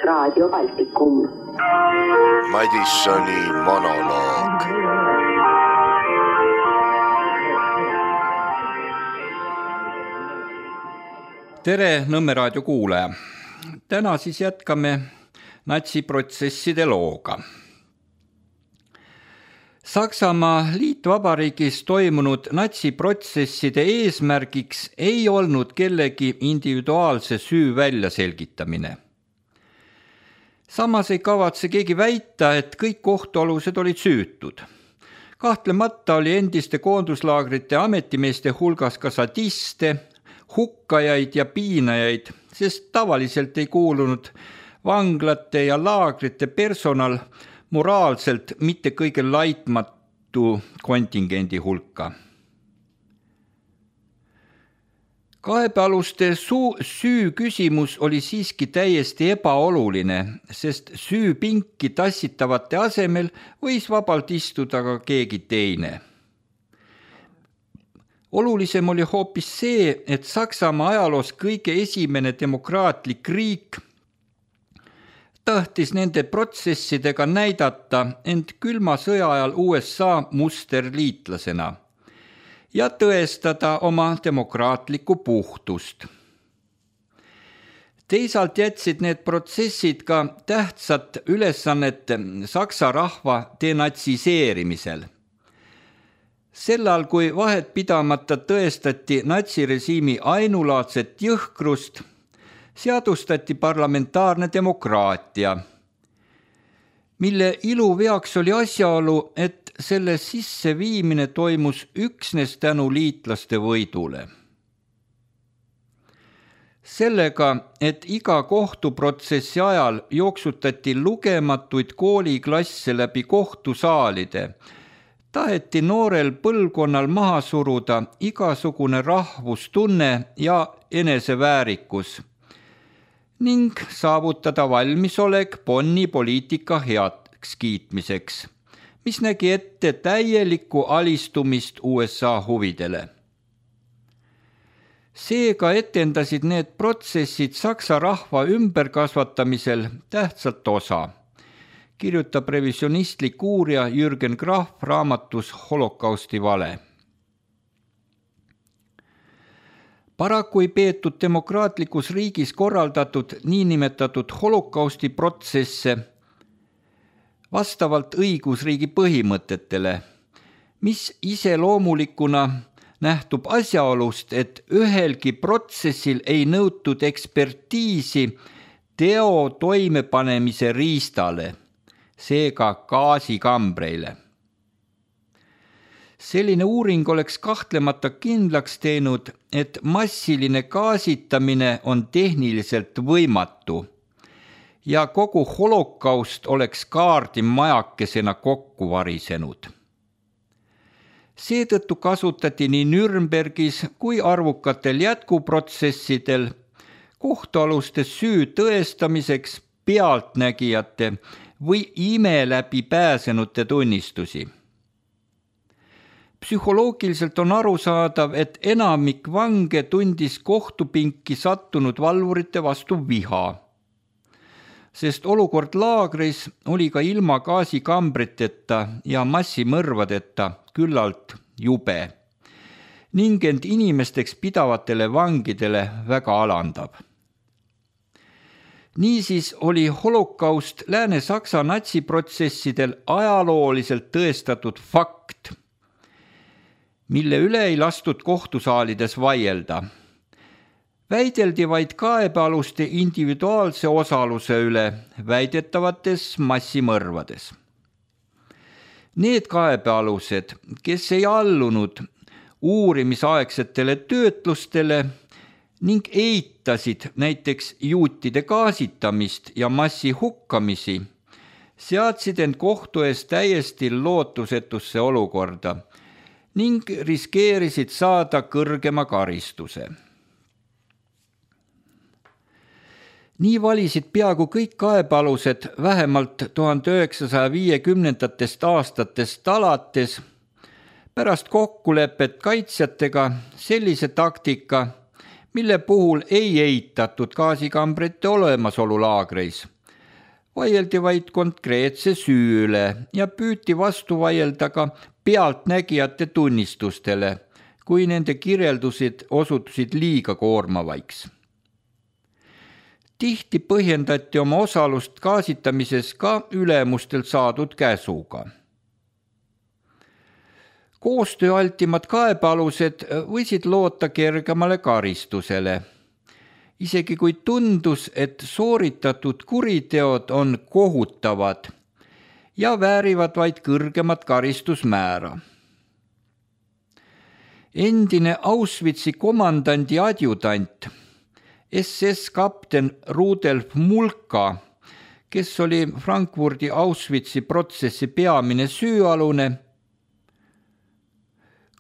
Raadio Baltikum. Madissoni monoloog. Tere Nõmme raadio kuulaja. Täna siis jätkame natsiprotsesside looga. Saksamaa Liitvabariigis toimunud natsiprotsesside eesmärgiks ei olnud kellegi individuaalse süü väljaselgitamine. Samas ei kavatse keegi väita, et kõik kohtualused olid süütud. Kahtlemata oli endiste koonduslaagrite ametimeeste hulgas ka sadiste, hukkajaid ja piinajaid, sest tavaliselt ei kuulunud vanglate ja laagrite personal moraalselt mitte kõige laitmatu kontingendi hulka. Kaebealuste süü küsimus oli siiski täiesti ebaoluline, sest süüpinki tassitavate asemel võis vabalt istuda ka keegi teine. Olulisem oli hoopis see, et Saksamaa ajaloos kõige esimene demokraatlik riik tahtis nende protsessidega näidata end külma sõja ajal USA musterliitlasena ja tõestada oma demokraatlikku puhtust. Teisalt jätsid need protsessid ka tähtsat ülesannet saksa rahva denatsiseerimisel. Sellal, kui vahet pidamata tõestati natsirežiimi ainulaadset jõhkrust, seadustati parlamentaarne demokraatia, mille iluveaks oli asjaolu, et selle sisseviimine toimus üksnes tänu liitlaste võidule. Sellega, et iga kohtuprotsessi ajal jooksutati lugematuid kooliklasse läbi kohtusaalide, taheti noorel põlvkonnal maha suruda igasugune rahvustunne ja eneseväärikus ning saavutada valmisolek Bonni poliitika heaks kiitmiseks, mis nägi ette täielikku alistumist USA huvidele. Seega etendasid need protsessid saksa rahva ümberkasvatamisel tähtsalt osa, kirjutab revisionistlik uurija Jürgen Graf raamatus Holokausti vale. Paraku ei peetud demokraatlikus riigis korraldatud niinimetatud holokausti protsesse vastavalt õigusriigi põhimõtetele, mis iseloomulikuna nähtub asjaolust, et ühelgi protsessil ei nõutud ekspertiisi teo toimepanemise riistale, seega gaasikambreile. Selline uuring oleks kahtlemata kindlaks teinud, et massiline gaasitamine on tehniliselt võimatu ja kogu holokaust oleks kaardimajakesena kokku varisenud. Seetõttu kasutati nii Nürnbergis kui arvukatel jätkuprotsessidel kohtualuste süü tõestamiseks pealtnägijate või ime läbi pääsenute tunnistusi. Psühholoogiliselt on arusaadav, et enamik vange tundis kohtupinki sattunud valvurite vastu viha, sest olukord laagris oli ka ilma gaasikambriteta ja massimõrvadeta küllalt jube ning end inimesteks pidavatele vangidele väga alandav. Niisiis oli holokaust Lääne-Saksa natsiprotsessidel ajalooliselt tõestatud fakt, mille üle ei lastud kohtusaalides vaielda. Väideldi vaid kaebealuste individuaalse osaluse üle väidetavates massimõrvades. Need kaebealused, kes ei allunud uurimisaegsetele töötlustele ning eitasid näiteks juutide gaasitamist ja massihukkamisi, seadsid end kohtu ees täiesti lootusetusse olukorda ning riskeerisid saada kõrgema karistuse. Nii valisid peaaegu kõik kaebealused vähemalt 1950. aastatest alates pärast kokkulepet kaitsjatega sellise taktika, mille puhul ei eitatud gaasikambrite olemasolu laagreis, vaieldi vaid konkreetse süü üle ja püüti vastu vaielda ka pealtnägijate tunnistustele, kui nende kirjeldused osutusid liiga koormavaiks. Tihti põhjendati oma osalust gaasitamises ka ülemustelt saadud käsuga. Koostööaltimad kaebealused võisid loota kergemale karistusele, isegi kui tundus, et sooritatud kuriteod on kohutavad ja väärivad vaid kõrgemat karistusmäära. Endine Auschwitzi komandandi adjutant, SS kapten Rudolf Mulka, kes oli Frankfurdi Auschwitzi protsessi peamine süüalune,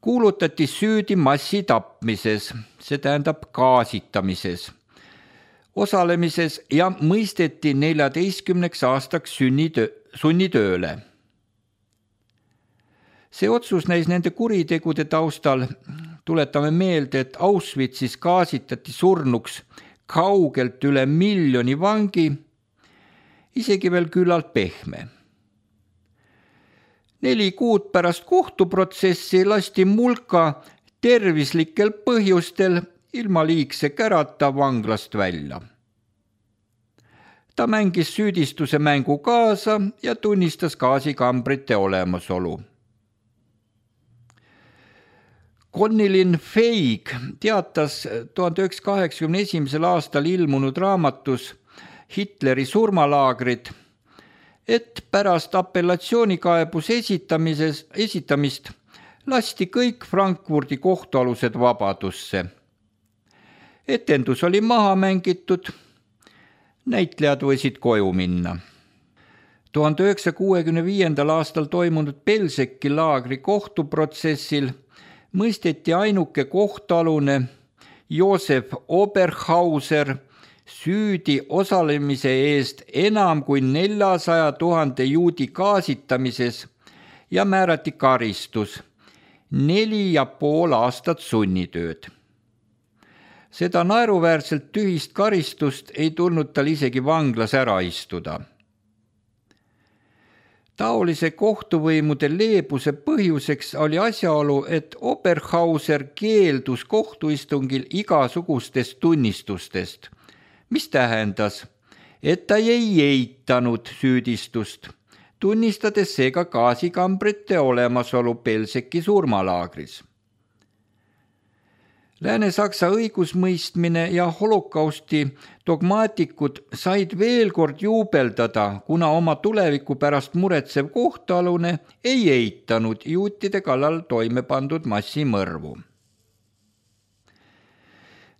kuulutati süüdi massitapmises, see tähendab gaasitamises, osalemises ja mõisteti 14 aastaks sunnitööle. See otsus näis nende kuritegude taustal, tuletame meelde, et Auschwitzis gaasitati surnuks kaugelt üle 1 miljoni vangi, isegi veel küllalt pehme. 4 kuud pärast kohtuprotsessi lasti Mulka tervislikel põhjustel ilma liigse kärata vanglast välja. Ta mängis süüdistuse mängu kaasa ja tunnistas gaasikambrite olemasolu. Connelin Feig teatas 1981. aastal ilmunud raamatus Hitleri surmalaagrid, et pärast apellatsioonikaebuse esitamist lasti kõik Frankfurdi kohtualused vabadusse. Etendus oli maha mängitud, näitlejad võisid koju minna. 1965. aastal toimunud Belzeki laagri kohtuprotsessil mõisteti ainuke kohtualune Josef Oberhauser süüdi osalemise eest enam kui 400 000 juudi gaasitamises ja määrati karistus 4,5 aastat sunnitööd. Seda naeruväärselt tühist karistust ei tulnud tal isegi vanglas ära istuda. Taolise kohtuvõimude leebuse põhjuseks oli asjaolu, et Oberhauser keeldus kohtuistungil igasugustest tunnistustest, mis tähendas, et ta ei eitanud süüdistust, tunnistades seega gaasikambrite olemasolu Belzeki surmalaagris. Lääne-Saksa õigusmõistmine ja holokausti dogmaatikud said veel kord juubeldada, kuna oma tuleviku pärast muretsev kohtualune ei eitanud juutide kallal toime pandud massimõrvu.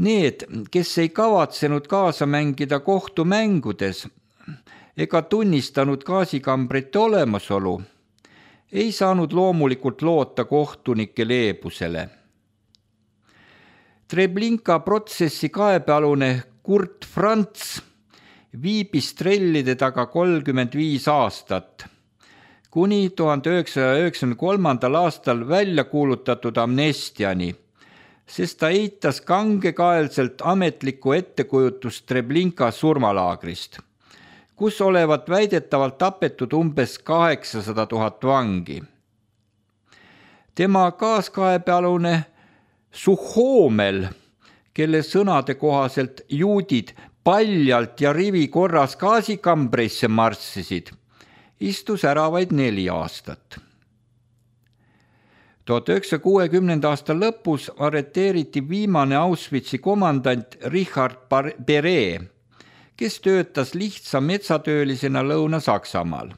Need, kes ei kavatsenud kaasa mängida kohtumängudes ega tunnistanud gaasikambrite olemasolu, ei saanud loomulikult loota kohtunike leebusele. Treblinka protsessi kaebealune Kurt Franz viibis trellide taga 35 aastat, kuni 1993. aastal välja kuulutatud amnestiani, sest ta eitas kangekaelselt ametlikku ettekujutust Treblinka surmalaagrist, kus olevat väidetavalt tapetud umbes 800 000 vangi. Tema kaaskaebealune Suhhoomel, kelle sõnade kohaselt juudid paljalt ja rivi korras gaasikambreisse marssisid, istus ära vaid 4 aastat. 1960. aasta lõpus arreteeriti viimane Auschwitzi komandant Richard Beret, kes töötas lihtsa metsatöölisena Lõuna-Saksamaal.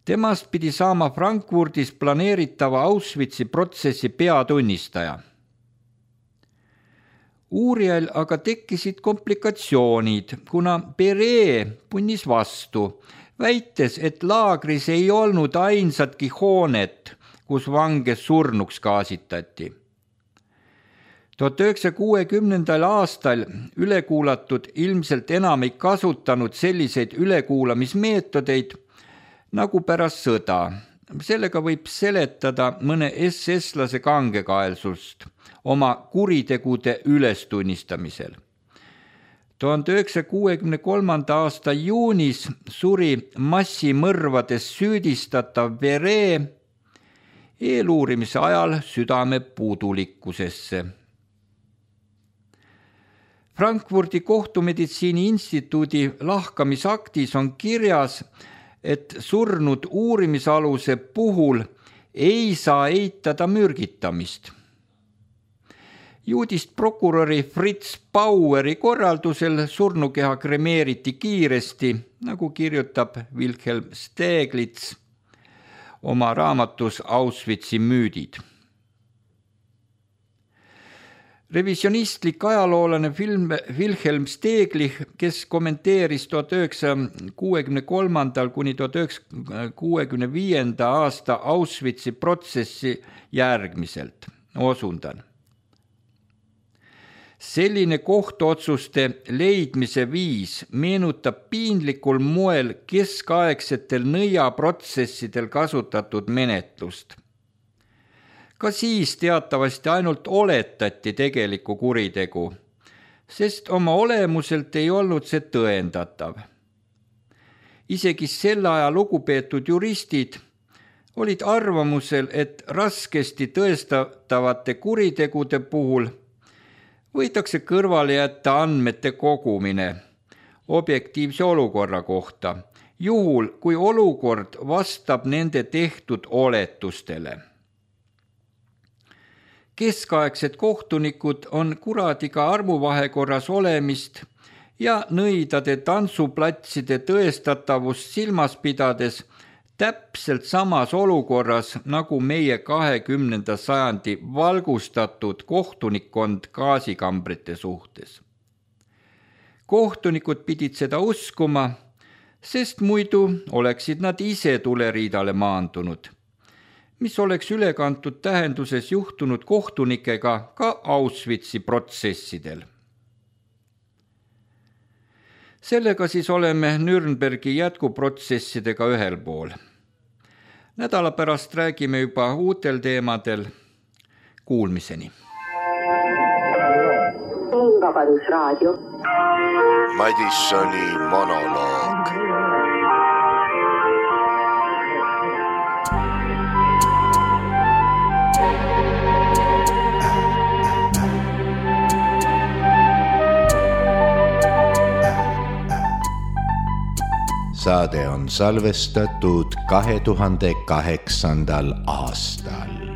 Temast pidi saama Frankfurdis planeeritava Auschwitzi protsessi peatunnistaja. Uurijal aga tekkisid komplikatsioonid, kuna Beret punnis vastu, väites, et laagris ei olnud ainsatki hoonet, kus vange surnuks gaasitati. 1960. aastal ülekuulatud ilmselt enam ei kasutanud selliseid ülekuulamismeetodeid nagu pärast sõda. Sellega võib seletada mõne SS-lase kangekaelsust oma kuritegude ülestunnistamisel. 1963. aasta juunis suri massimõrvades süüdistatav Vere eeluurimise ajal südame puudulikkusesse. Frankfurdi kohtumeditsiini instituudi lahkamisaktis on kirjas, et surnud uurimisaluse puhul ei saa eitada mürgitamist. Juudist prokuröri Fritz Baueri korraldusel surnukeha kremeeriti kiiresti, nagu kirjutab Wilhelm Steglitz oma raamatus Auschwitzi müüdid. Revisionistlik ajaloolane Wilhelm Steglich, kes kommenteeris 1963. kuni 1965. aasta Auschwitzi protsessi järgmiselt, osundan. Selline kohtuotsuste leidmise viis meenutab piinlikul moel keskaegsetel nõiaprotsessidel kasutatud menetlust. Ka siis teatavasti ainult oletati tegelikku kuritegu, sest oma olemuselt ei olnud see tõendatav. Isegi selle aja lugupeetud juristid olid arvamusel, et raskesti tõestatavate kuritegude puhul võidakse kõrvale jätta andmete kogumine objektiivse olukorra kohta, juhul kui olukord vastab nende tehtud oletustele. Keskaegsed kohtunikud on kuradiga armuvahekorras olemist ja nõidade tantsuplatside tõestatavust silmas pidades täpselt samas olukorras nagu meie 20. sajandi valgustatud kohtunikkond gaasikambrite suhtes. Kohtunikud pidid seda uskuma, sest muidu oleksid nad ise tuleriidale maandunud, mis oleks ülekantud tähenduses juhtunud kohtunikega ka Auschwitzi protsessidel. Sellega siis oleme Nürnbergi jätkuprotsessidega ühel pool. Nädala pärast räägime juba uutel teemadel. Kuulmiseni. Vabadusraadio. Madissoni monoloog. Saade on salvestatud 2008. aastal.